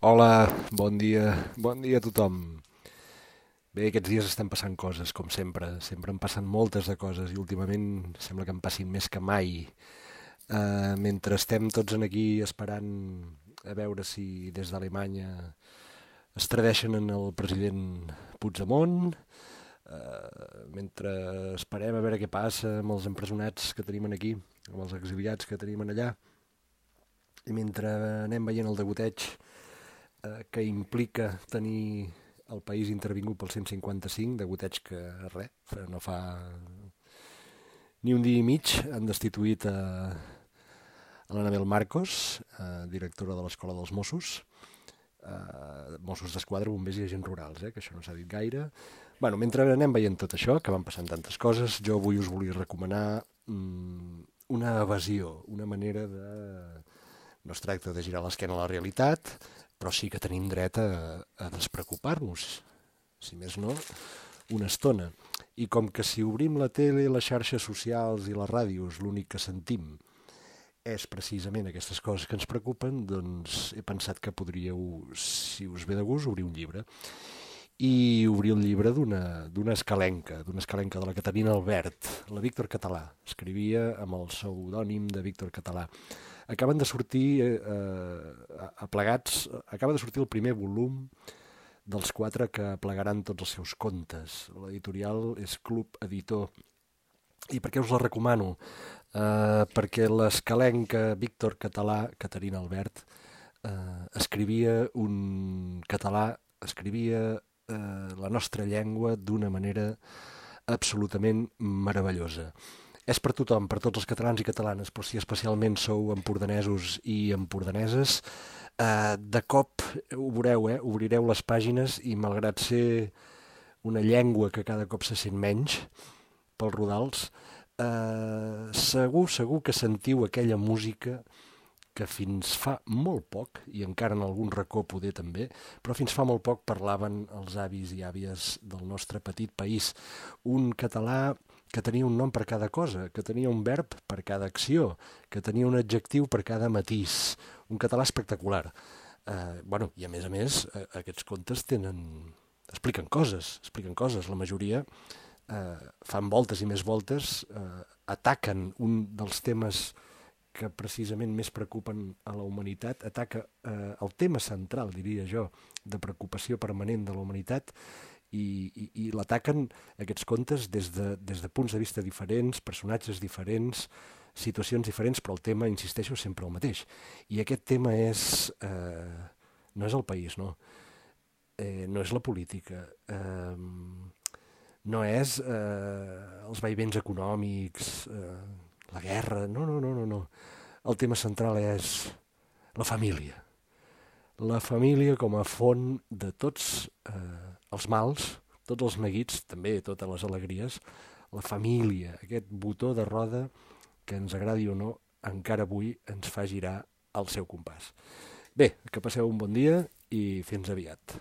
Hola, bon dia a tothom. Bé, aquests dies estan passant coses, com sempre. Sempre en passen moltes de coses i últimament sembla que en passin més que mai. Mentre estem tots en aquí esperant a veure si des d'Alemanya es tradeixen en el president Puigdemont, mentre esperem a veure què passa amb els empresonats que tenim aquí, amb els exiliats que tenim allà, i mentre anem veient el degoteig que implica tenir el país intervingut pel 155, degoteig que res, no fa ni un dia i mig han destituït a l'Anabel Marcos, directora de l'Escola dels Mossos, Mossos d'Esquadra, bombers i agents rurals, que això no s'ha dit gaire. Bueno, mentre anem veient tot això, que van passant tantes coses, jo avui us volia recomanar una evasió, una manera de... No es tracta de girar l'esquena a la realitat, però sí que tenim dret a despreocupar-nos, si més no, una estona. I com que si obrim la tele, les xarxes socials i les ràdios l'únic que sentim és precisament aquestes coses que ens preocupen, doncs he pensat que podríeu, si us ve de gust, obrir un llibre. I obrir el llibre d'una escalenca de la Caterina Albert, la Víctor Català. Escrivia amb el pseudònim de Víctor Català. Acaben de sortir acaba de sortir el primer volum dels 4 que plegaran tots els seus contes. L'editorial és Club Editor. I per què us la recomano? Perquè l'escalenca Víctor Català, Caterina Albert, escrivia un català, escrivia la nostra llengua d'una manera absolutament meravellosa. És per tothom, per tots els catalans i catalanes, però si especialment sou empordanesos i empordaneses, de cop ho veureu, obrireu les pàgines i malgrat ser una llengua que cada cop se sent menys pels rodals, segur que sentiu aquella música que fins fa molt poc, i encara en algun racó poder també, però fins fa molt poc parlaven els avis i àvies del nostre petit país. Un català que tenia un nom per cada cosa, que tenia un verb per cada acció, que tenia un adjectiu per cada matís. Un català espectacular. Bueno, i a més, aquests contes expliquen coses. La majoria fan voltes i més voltes, ataquen un dels temes que precisament més preocupen a la humanitat, ataca el tema central, diria jo, de preocupació permanent de la humanitat i l'ataquen aquests contes des de punts de vista diferents, personatges diferents, situacions diferents, però el tema, insisteixo, és sempre el mateix. I aquest tema no és el país, no. No és la política, no és els vaivens econòmics, la guerra, no. El tema central és la família. La família com a font de tots els mals, tots els neguits, també totes les alegries. La família, aquest botó de roda que ens agradi o no, encara avui ens fa girar al seu compàs. Bé, que passeu un bon dia i fins aviat.